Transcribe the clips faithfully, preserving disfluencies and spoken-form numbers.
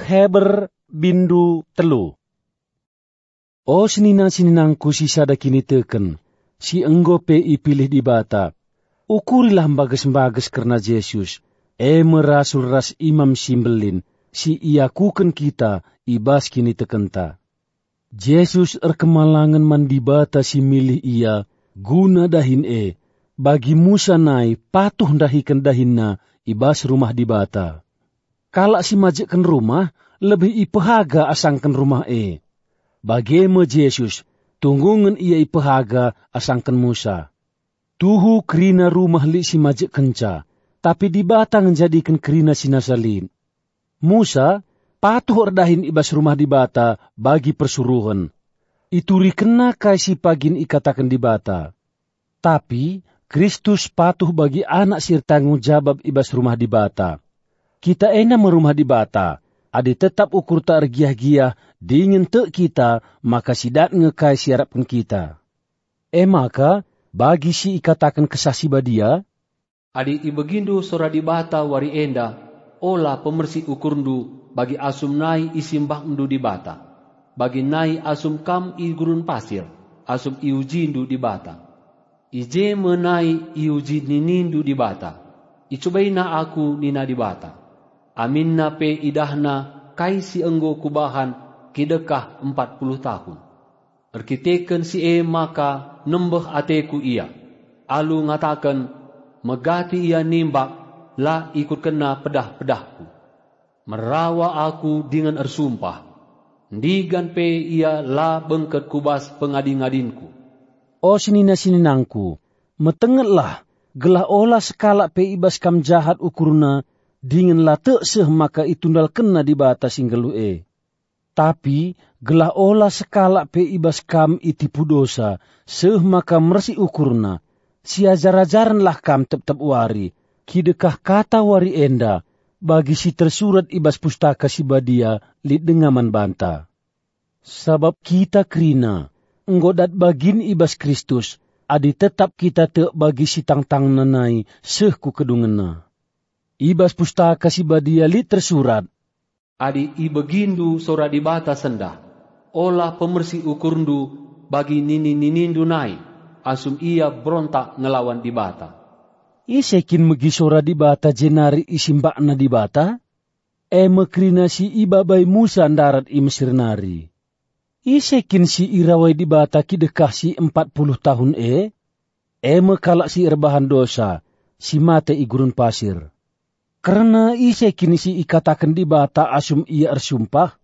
Heber, bindu telu. O senina-seninangku si sada kiniteken, si enggo pe ipilih Dibata, ukurilah mbages-mbages kerna Jesus, e me rasul ras Imam si Mbelin, si iakuken kita i bas kinitekenta. Jesus erkemalangen man Dibata si milih ia guna dahin e, bagi Musa nai patuh ndahiken dahinna i bas rumah Dibata. Kalak si majekken rumah lebih ipehaga asangken rumah e. Bage me Jesus, tunggungen ia ipehaga asangken Musa. Tuhu kerina rumah lit si majekkenca, tapi Dibata ngenjadiken kerina si nasa lit. Musa patuh erdahin i bas rumah Dibata bagi persuruhen. Iturikenna kai si pagin ikataken Dibata. Tapi Kristus patuh bagi anak si ertanggung jabap i bas rumah Dibata. Kita enda me rumah Dibata, adi tetap ukurta ergiah-giah dingen tek kita, maka si dat nge kai si iarapken kita. E maka, bagi si ikataken Kesah Si Badia, "Adi ibegindu sora Dibata wari enda, ola pemersi ukurndu bagi asum nai isimbakndu Dibata, bagi nai asum kam i gurun pasir, asum iujindu Dibata. I je me nai iuji ninindu Dibata, 'IcubaIna Aku,' nina Dibata. Aminna pe idahNa kai si enggo Kubahan kidekah empat puluh tahun. Erkiteken si e maka nembeh ateKu ia, alu ngataken, 'Megati ia nimbak, la ikutkenna pedah-pedahKu.' Merawa Aku dingen ersumpah, 'Ndigan pe ia la bengket ku bas pengadi-ngadinKu.'" O senina-seninangku, metengetlah, gelah ola sekalak pe i bas kam jahat ukurna, dingen la tek seh maka itundalkenna Dibata si nggeluh e. Tapi gelah ola sekalak pe i bas kam itipu dosa, seh maka mersi ukurna, siajar-ajarenlah kam tep-tep wari, kidekah kata wari enda, bagi si tersurat i bas Pustaka Si Badia lit denga man banta. Sabap kita kerina, enggo dat bagin i bas Kristus, adi tetap kita tek bagi si tangtangna nai seh ku kedungenna. I bas Pustaka Si Badia lit tersurat, "Adi ibegindu sora Dibata sendah, ola pemersi ukurndu bagi nini-ninindu nai, asum ia berontak ngelawan Dibata." Ise kin megi sora Dibata jenari isimbakna Dibata? E me kerina si ibabai Musa ndarat i Mesir nari. Ise kin si irawai Dibata kidekah si empat puluh tahun e? E me kalak si erbahan dosa, si mate i gurun pasir. Kerna ise kin si ikataken Dibata asum ia ersumpah,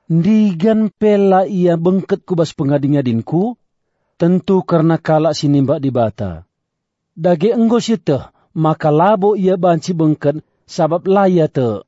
"Ndigan pe la ia bengket ku bas pengadi-ngadinKu"? Tentu kerna kalak si nimbak Dibata. Dage enggo sieteh maka labo ia banci bengket, sabap la ia tek.